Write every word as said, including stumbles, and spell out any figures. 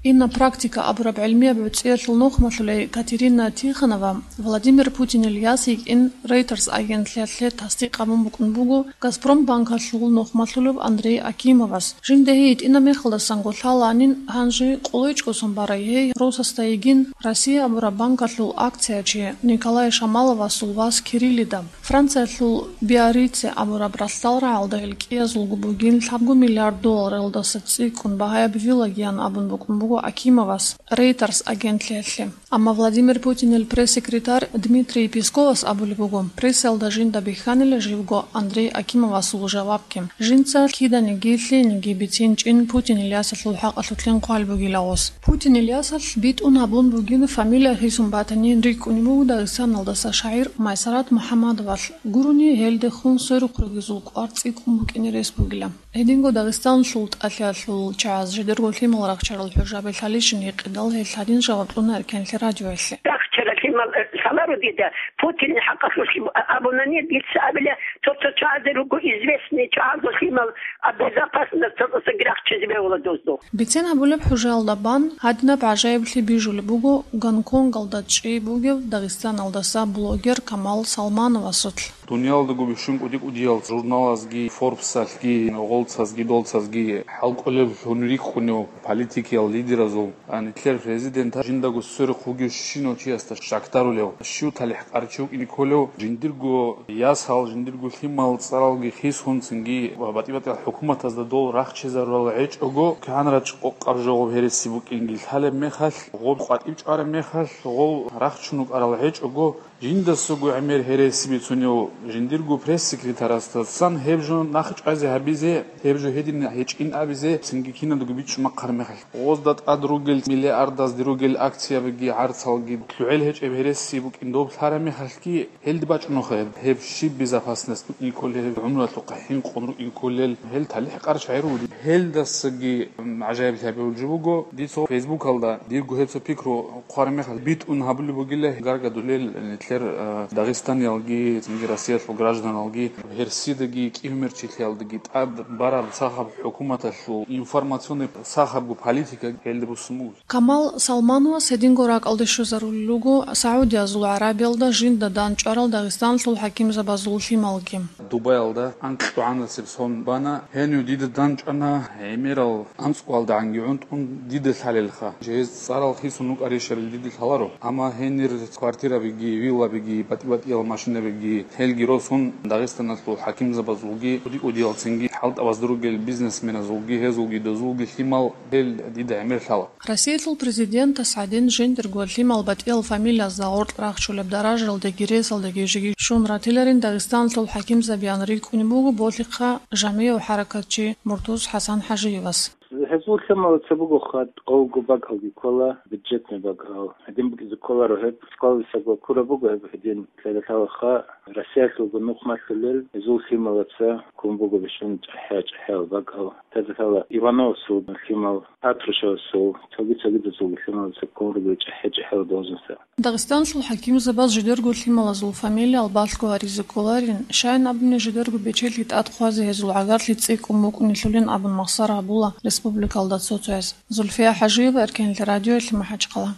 Инна практика абураб гӀилмияб гӀуцӀиялъул нухмалъулей Катерина Тихонова Владимир Путинил яс йикӀин Reuters агентлъиялъе тасдикъ гьабун букӀун буго Газпромбанкалъул нухмалъулев Андрей Акимовас. Жинда гьей йитӀина мехалдасанго лъаланин, гьанже къулайчӀого сон барай гьей Росасда йигин Россия абураб банкалъул акциячи Николай Шамаловасул вас Кириллида. Франциялъул Биаррице абураб ралъдал рагӀалда гьел кӀиязулго бугин лъабго миллиард долларалдаса цӀикӀкӀун багьаяб виллагиян абун букӀун буго Акимовас Reuters агентлъиялъе. Амма Владимир Путинил пресс-секретарь Дмитрий Песковас абулеб буго, прессаялда жинда бихьанила живго Андрей Акимовасул жавабги. Жинца киданиги лъиениги бицинчӀин Путинил ясалъул хӀакъалъулъин хъван бугила гъос. Путинил ясалъ битӀун гьабун бугин фамилия хисун батанин рикӀкӀунеб буго Дагъистаналдаса шагӀир Майсарат МухӀаммадовалъ. Гурони гьелдехун сверухъ ругезул кӀвар цӀикӀкӀун букӀине рес бугила. Гьединго Дагъистаналъул тӀалъиялъул чагӀаз жидерго лъимал рахчарал хӀужаби лъалищин гьикъидал гьел гьадин жаваб кьуна Эркенлъи радиоялъе. Рахчарал лъимал, э, лъаларо дида, Путинил хӀакъалъулъ абунани, дица абила, цо-цо чагӀазе руго известный чагӀазул лъимал, а безопасность цо-цоги рахчизе бегьула дозду. Бицен гьабулеб хӀужаялда бан гьадинаб гӀажаиблъи бижулеб буго Гонконгалда чӀей бугев Дагъистаналдаса блогер Камал Салмановасулъ. Дуниялалдаго бищун кӀуди-кӀудиял журналазги, Forbes-алъги, гъолцазги, долцазги хӀалкӀолеб гьунрихъунев политикиял лидеразул, а, нилъер президент жиндаго сверухъ вугев щинав чиясда щакдарулев, щив талихӀ къарчи вукӀине кколев, жиндирго ясал, жиндирго лъимал цӀаралги хисун, цинги батӀи-батӀиял хӀукуматазда дол рахчизарурал гьечӀого, кигӀан рачӀ къокъаб жо гъоб гьереси букӀинги лъалеб мехалъ, гъоб къватӀиб чӀвараб мехалъ, гъол рахчун рукӀарал гьечӀого, жиндасаго гӀемер гьереси бицунев жиндирго пресс-секретарасдасан гьеб жо нахъ чӀвазе гьабизе, гьеб жо гьедин гьечӀин абизе, цинги киналдаго бичӀчӀун бахъараб мехалъ, гъозда тӀад ругел миллиардазде ругел акциябиги гӀарцалги лъугӀел гьечӀеб гьереси букӀин доб лъараб мехалъги, гьелде бачӀунухъе гьеб, гьеб щиб безопасность букӀине кколел, гьеб гӀумруялъухъа хӀинкъун рукӀине кколел, гьел талихӀ къарчагӀи руго. Гьелдасаги, м, гӀажаиблъи гьабулеб жо буго, дица Фейсбукалда дирго гьеб цо пикру хъвараб мехалъ битӀун гьабулеб бугила, гаргадулел нилъер, э, дагъистаниялги, цинги Россиялъул гражданалги, гьерсидаги, кӀиго-мер чилъиялдаги тӀад бараб сахаб хӀукуматалъул информационный сахабго политика гьелде буссун буго. Камал Салмановас гьединго ракӀалде щвезарулел руго Саудиязул ГӀарабиялда жинда дандчӀварал Дагъистаналъул хӀакимзабазул лъималги. Дубаялда анкьгӀанасеб сон бана, гьенив дида дандчӀвана, гӀемерал анцӀгоялдагӀанги гӀунтӀун дида лъалелха. Жеги цӀарал хисун рукӀарищали дида лъаларо. Амма гьенир квартирабиги, виллабиги, батӀи-батӀиял машинабиги, гьелги росун, Дагъистаналъул хӀакимзабазулги, кӀуди-кӀудиял цинги хӀалтӀабазда ругел бизнесменазулги, гьезулги дозулги лъимал гьел дида гӀемер лъала. Россиялъул президентас гӀадин жиндирго лъимал батӀиял фамилиязда гъоркь рахчулеб даражалдеги ресалдеги жеги щун ратиларин Дагъистаналъул хӀакимзабиян рикӀкӀунеб буго Болъихъа жамияв хӀаракатчи Муртуз ХӀасан ХӀажиевас. Гьезул лъимал цебего хадубго бакӀалги ккола, бюджетный бакӀал. Гьедин букӀизе кколаро гьеб, сквалисаго ккураб буго гьеб гьедин. Лъалаха Россиялъулго нухмалъулел гьезул лъималаца ккун буго бищун чӀахӀи-чӀахӀиял бакӀал. Лъалаха Ивановасул лъимал, Патрушевасул, цоги-цогидазулги лъималаца ккун руго чӀахӀи-чӀахӀиял должностал. Дагъистаналъул хӀакимзабаз жидерго лъималазул фамилиял балъго гьаризе кколарин, щайин абуни жидерго бечелъи тӀад хъвазе гьезул гӀагарлъи цӀикӀкӀун букӀунелъулин абун махсар гьабула республикалда цо-цояз. Зульфия ХӀажиева, Эркенлъи радиоялъе, МахӀачхъала.